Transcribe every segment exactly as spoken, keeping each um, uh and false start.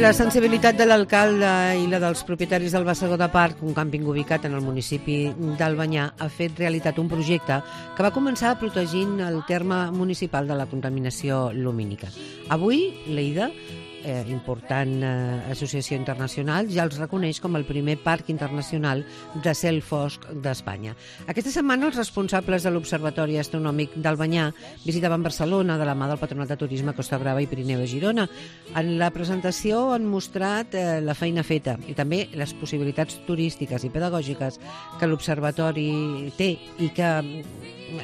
La sensibilitat de l'alcalde i la dels propietaris del Bassegoda de Parc, un càmping ubicat en el municipi d'Albanyà, ha fet realitat un projecte que va començar protegint el terme municipal de la contaminació lumínica. Avui, l'Eida, eh, important eh, associació internacional, ja els reconeix com el primer parc internacional de cel fosc d'Espanya. Aquesta setmana els responsables de l'Observatori Astronòmic d'Albanyà visitaven Barcelona de la mà del Patronat de Turisme Costa Brava i Pirineu de Girona. En la presentació han mostrat eh, la feina feta i també les possibilitats turístiques i pedagògiques que l'Observatori té i que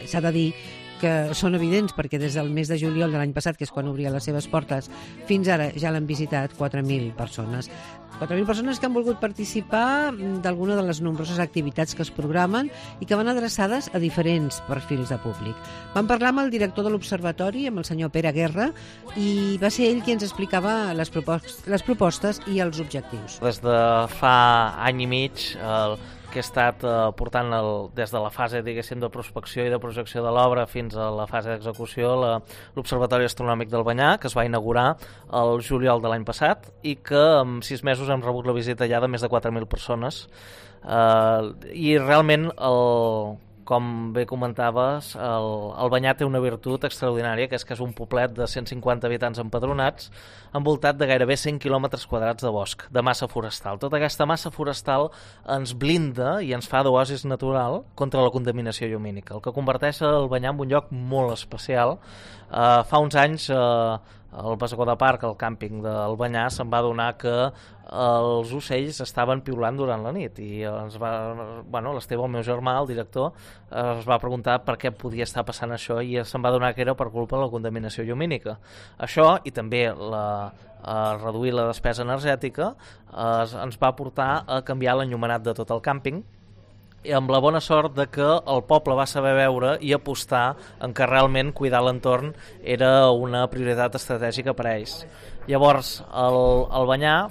s'ha de dir que són evidents perquè des del mes de juliol de l'any passat, que és quan obria les seves portes, fins ara ja l'han visitat quatre mil persones. quatre mil persones que han volgut participar d'alguna de les nombroses activitats que es programen i que van adreçades a diferents perfils de públic. Vam parlar amb el director de l'Observatori, amb el senyor Pere Guerra, i va ser ell qui ens explicava les propostes, les propostes i els objectius. Des de fa any i mig, el que he estat eh, portant el, des de la fase, diguéssim, de prospecció i de projecció de l'obra fins a la fase d'execució, l'Observatori Astronòmic d'Albanyà, que es va inaugurar el juliol de l'any passat i que en sis mesos hem rebut la visita ja de més de quatre mil persones. Eh, I realment, el, com bé comentaves, el, Albanyà té una virtut extraordinària, que és que és un poblet de cent cinquanta habitants empadronats, envoltat de gairebé cent quilòmetres quadrats de bosc, de massa forestal. Tota aquesta massa forestal ens blinda i ens fa d'oasis natural contra la contaminació llumínica, el que converteix Albanyà en un lloc molt especial. Uh, fa uns anys uh, el Bassegoda Park, el càmping d'Albanyà, se'n va adonar que els ocells estaven piulant durant la nit i ens va, bueno, l'Esteve, el meu germà, el director, es va preguntar per què podia estar passant això i se'n va adonar que era per culpa de la contaminació llumínica. Això i també la, a reduir la despesa energètica es, ens va portar a canviar l'enllumenat de tot el càmping, i amb la bona sort de que el poble va saber veure i apostar en que realment cuidar l'entorn era una prioritat estratègica per a ells. Llavors, el, Albanyà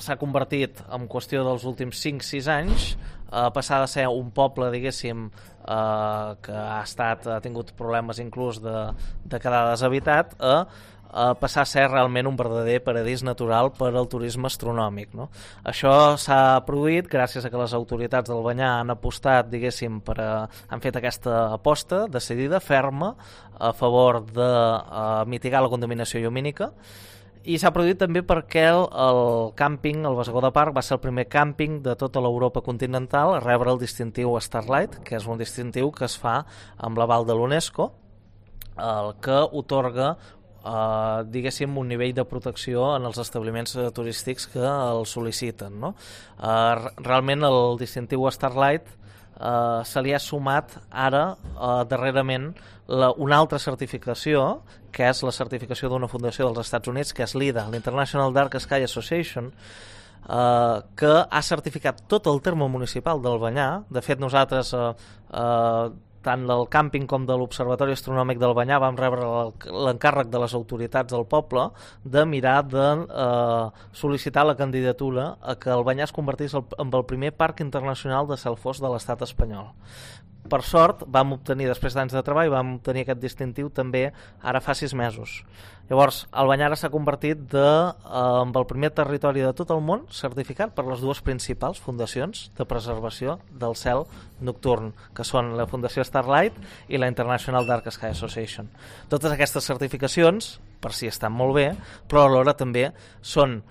s'ha convertit, en qüestió dels últims cinc sis anys, a passar de ser un poble, diguéssim, eh, que ha estat ha tingut problemes inclús de, de quedar deshabitat, a a passar a ser realment un verdader paradís natural per al turisme astronòmic, no? Això s'ha produït gràcies a que les autoritats d'Albanyà han apostat, diguéssim, per a, han fet aquesta aposta decidida, ferma, a favor de a, mitigar la contaminació llumínica, i s'ha produït també perquè el, el càmping, el Bassegoda Park, va ser el primer càmping de tota l'Europa continental a rebre el distintiu Starlight, que és un distintiu que es fa amb l'aval de l'UNESCO, el que otorga Uh, diguéssim, un nivell de protecció en els establiments uh, turístics que el sol·liciten, no? Uh, realment el distintiu Starlight uh, se li ha sumat ara, uh, darrerament, la, una altra certificació, que és la certificació d'una fundació dels Estats Units, que és l'I D A, l'International Dark Sky Association, uh, que ha certificat tot el terme municipal d'Albanyà. De fet, nosaltres uh, uh, tant del càmping com de l'Observatori Astronòmic d'Albanyà vam rebre l'encàrrec de les autoritats del poble de mirar de eh, sol·licitar la candidatura a que Albanyà es convertís en el primer parc internacional de cel fosc de l'estat espanyol. Per sort, vam obtenir, després d'anys de treball, vam obtenir aquest distintiu també ara fa sis mesos. Llavors, Albanyà ara s'ha convertit de, eh, en el primer territori de tot el món certificat per les dues principals fundacions de preservació del cel nocturn, que són la Fundació Starlight i la International Dark Sky Association. Totes aquestes certificacions, per si estan molt bé, però alhora també són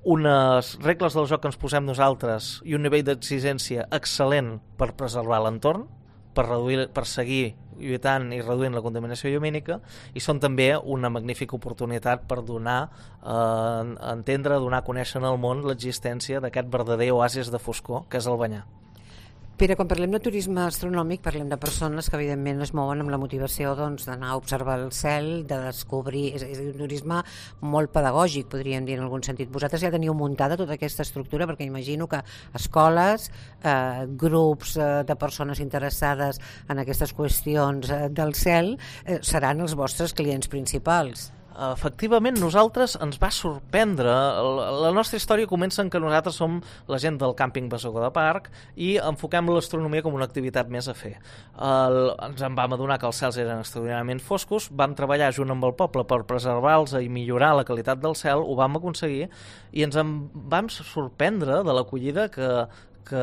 unes regles del joc que ens posem nosaltres i un nivell d'exigència excel·lent per preservar l'entorn, per, reduir, per seguir lluitant i reduint la contaminació llumínica, i són també una magnífica oportunitat per donar eh, entendre, donar a conèixer al món l'existència d'aquest verdader oasis de foscor que és Albanyà. Pere, quan parlem de turisme astronòmic parlem de persones que evidentment es mouen amb la motivació doncs, d'anar a observar el cel, de descobrir, és, és un turisme molt pedagògic, podríem dir en algun sentit. Vosaltres ja teniu muntada tota aquesta estructura, perquè imagino que escoles, eh, grups eh, de persones interessades en aquestes qüestions eh, del cel eh, seran els vostres clients principals. Efectivament, nosaltres ens va sorprendre. La, la nostra història comença en que nosaltres som la gent del càmping Bassegoda de Parc i enfoquem l'astronomia com una activitat més a fer. El, ens en vam adonar que els cels eren extraordinàriament foscos, vam treballar junt amb el poble per preservar-los i millorar la qualitat del cel, ho vam aconseguir i ens en vam sorprendre de l'acollida que Que,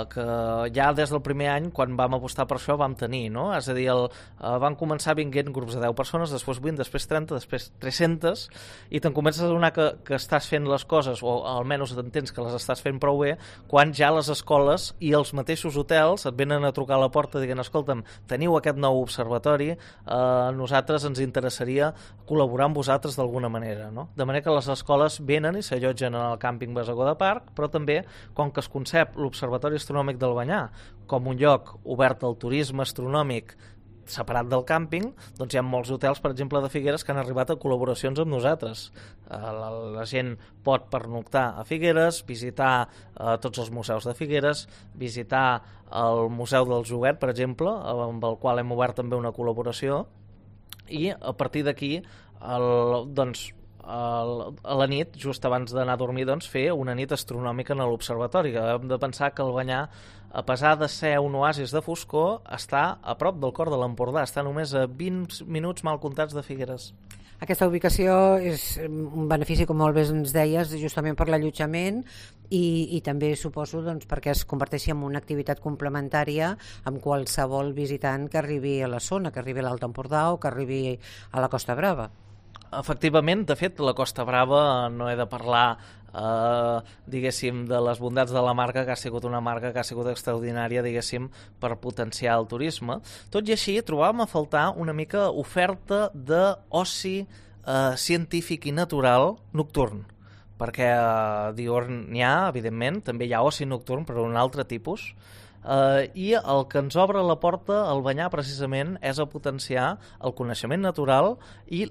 que ja des del primer any, quan vam apostar per això, vam tenir, no? És a dir, el, eh, van començar vinguent grups de deu persones, després vint, després trenta, després tres-centes, i te'n comences a adonar que, que estàs fent les coses, o almenys t'entens que les estàs fent prou bé, quan ja les escoles i els mateixos hotels et venen a trucar a la porta dient, escolta'm, teniu aquest nou observatori, eh, a nosaltres ens interessaria col·laborar amb vosaltres d'alguna manera, no? De manera que les escoles venen i s'allotgen en el càmping Bassegoda de Parc, però també, com que es concep l'Observatori Astronòmic del Banyà com un lloc obert al turisme astronòmic separat del càmping, doncs hi ha molts hotels, per exemple, de Figueres, que han arribat a col·laboracions amb nosaltres. La, la gent pot pernoctar a Figueres, visitar eh, tots els museus de Figueres, visitar el Museu del Joguet, per exemple, amb el qual hem obert també una col·laboració, i a partir d'aquí, el, doncs, a la nit, just abans d'anar a dormir, doncs, fer una nit astronòmica en l'observatori, que hem de pensar que el Banyà, a pesar de ser un oasis de foscor, està a prop del cor de l'Empordà, està només a vint minuts mal comptats de Figueres. Aquesta ubicació és un benefici, com molt bé ens deies, justament per l'allotjament i, i també suposo doncs, perquè es converteixi en una activitat complementària amb qualsevol visitant que arribi a la zona, que arribi a l'Alt Empordà o que arribi a la Costa Brava. Efectivament, de fet, la Costa Brava no he de parlar, eh, diguéssim, de les bondats de la marca, que ha sigut una marca que ha sigut extraordinària, diguéssim, per potenciar el turisme. Tot i així, trobàvem a faltar una mica oferta d'oci eh, científic i natural nocturn, perquè eh, diürn n'hi ha, evidentment, també hi ha oci nocturn, però un altre tipus. Uh, i el que ens obre la porta al Banyà precisament és a potenciar el coneixement natural i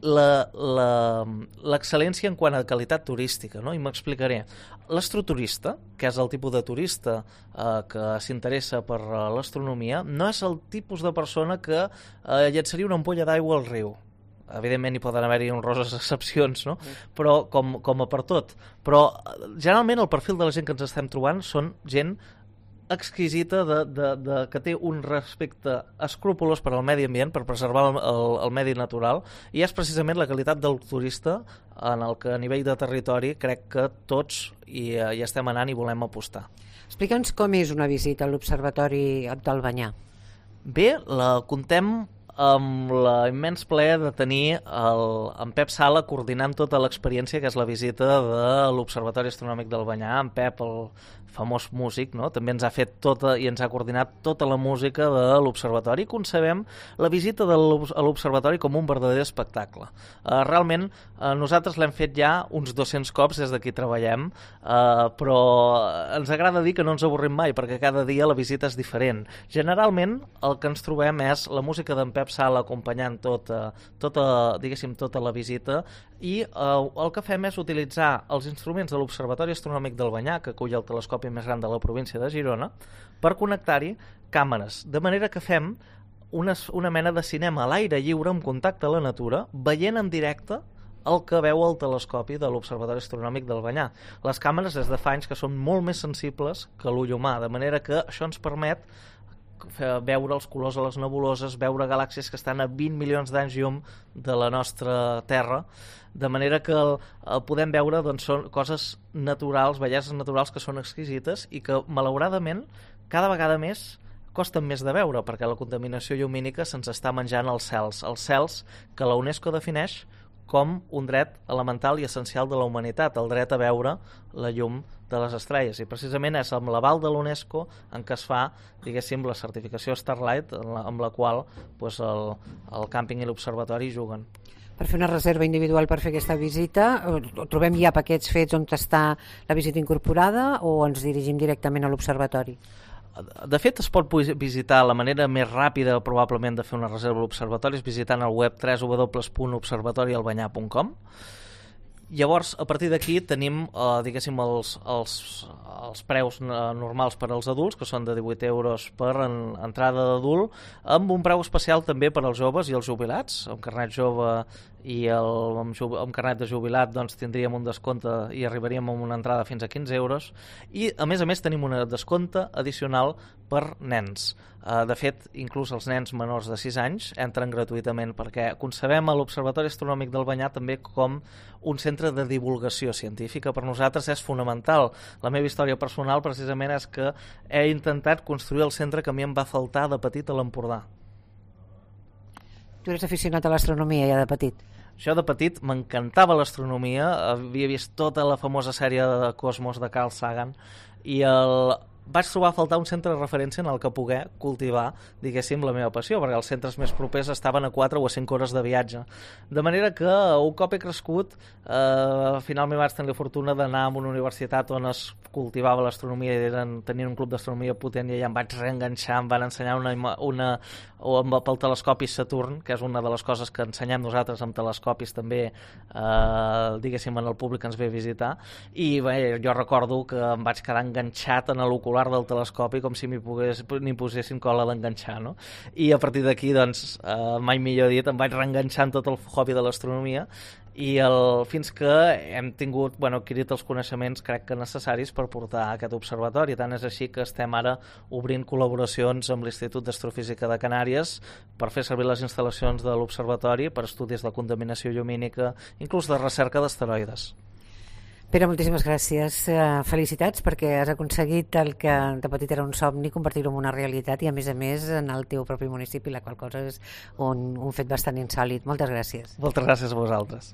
l'excel·lència en quant a qualitat turística, no? I m'explicaré. L'astroturista, que és el tipus de turista uh, que s'interessa per uh, l'astronomia, no és el tipus de persona que uh, llançaria una ampolla d'aigua al riu. Evidentment hi poden haver-hi honroses excepcions, no? Però com, com a per tot. Però generalment el perfil de la gent que ens estem trobant són gent exquisita de, de, de, que té un respecte escrupolós per al medi ambient, per preservar el, el, el medi natural, i és precisament la qualitat del turista en el que a nivell de territori crec que tots hi, hi estem anant i volem apostar. Explica'ns com és una visita a l'Observatori del Banyà. Bé, la contem amb l'immens plaer de tenir el, en Pep Sala coordinant tota l'experiència, que és la visita de l'Observatori Astronòmic del Banyà. En Pep, el famós músic, no? També ens ha fet tota i ens ha coordinat tota la música de l'Observatori. Concebem la visita de l'Observatori com un verdader espectacle. Uh, realment, uh, nosaltres l'hem fet ja uns dos-cents cops des d'aquí treballem, uh, però ens agrada dir que no ens avorrim mai, perquè cada dia la visita és diferent. Generalment, el que ens trobem és la música d'en Pep Sala acompanyant tota, tota, diguéssim, tota la visita, i uh, el que fem és utilitzar els instruments de l'Observatori Astronòmic del Banyà, que acull el telescopi més gran de la província de Girona, per connectar-hi càmeres, de manera que fem una, una mena de cinema a l'aire lliure amb contacte a la natura, veient en directe el que veu el telescopi de l'Observatori Astronòmic del Banyà. Les càmeres des de fa anys que són molt més sensibles que l'ull humà, de manera que això ens permet veure els colors a les nebuloses, veure galàxies que estan a vint milions d'anys llum de la nostra Terra, de manera que el, el podem veure, doncs, són coses naturals, belleses naturals que són exquisites i que, malauradament, cada vegada més costen més de veure, perquè la contaminació llumínica se'ns està menjant els cels, els cels que la UNESCO defineix com un dret elemental i essencial de la humanitat, el dret a veure la llum de les estrelles, i precisament és amb l'aval de l'UNESCO en què es fa, diguéssim, la certificació Starlight, amb la qual doncs, el, el càmping i l'observatori juguen. Per fer una reserva individual per fer aquesta visita, trobem ja paquets fets on està la visita incorporada o ens dirigim directament a l'observatori? De fet, es pot visitar, la manera més ràpida probablement de fer una reserva a l'observatori és visitant el web w w w punt observatori del banyà punt com. Llavors, a partir d'aquí tenim, eh, diguéssim, els, els, els preus normals per als adults, que són de divuit euros per en, entrada d'adult, amb un preu especial també per als joves i els jubilats, amb carnet jove i el, amb, amb carnet de jubilat doncs, tindríem un descompte i arribaríem a una entrada fins a quinze euros, i a més a més tenim un descompte addicional per nens. Uh, de fet, inclús els nens menors de sis anys entren gratuïtament, perquè concebem a l'Observatori Astronòmic del Banyar també com un centre de divulgació científica. Per nosaltres és fonamental. La meva història personal precisament és que he intentat construir el centre que a mi em va faltar de petit a l'Empordà. Tu eres aficionat a l'astronomia ja de petit? Jo de petit m'encantava l'astronomia, havia vist tota la famosa sèrie de Cosmos de Carl Sagan i el... vaig trobar a faltar un centre de referència en el que poder cultivar, diguéssim, la meva passió, perquè els centres més propers estaven a quatre o a cinc hores de viatge. De manera que un cop he crescut, eh, finalment vaig tenir la fortuna d'anar a una universitat on es cultivava l'astronomia i eren, tenien un club d'astronomia potent, i allà em vaig reenganxar, em van ensenyar una, una o amb, pel telescopi Saturn, que és una de les coses que ensenyem nosaltres amb telescopis també, eh, diguéssim, en el públic que ens ve a visitar, i bé, jo recordo que em vaig quedar enganxat en l'ocular del telescopi com si m'hi pogués, n'hi posessin cola a l'enganxar, no? I a partir d'aquí, doncs, eh, mai millor dit, em vaig reenganxar en tot el hobby de l'astronomia i el, fins que hem tingut, bueno, adquirit els coneixements, crec que necessaris per portar aquest observatori. Tant és així que estem ara obrint col·laboracions amb l'Institut d'Astrofísica de Canàries per fer servir les instal·lacions de l'observatori per estudis de contaminació llumínica, inclús de recerca d'asteroides. Pere, moltíssimes gràcies. Felicitats perquè has aconseguit el que de petit era un somni, convertir-ho en una realitat i a més a més en el teu propi municipi, la qual cosa és un, un fet bastant insòlit. Moltes gràcies. Moltes gràcies a vosaltres.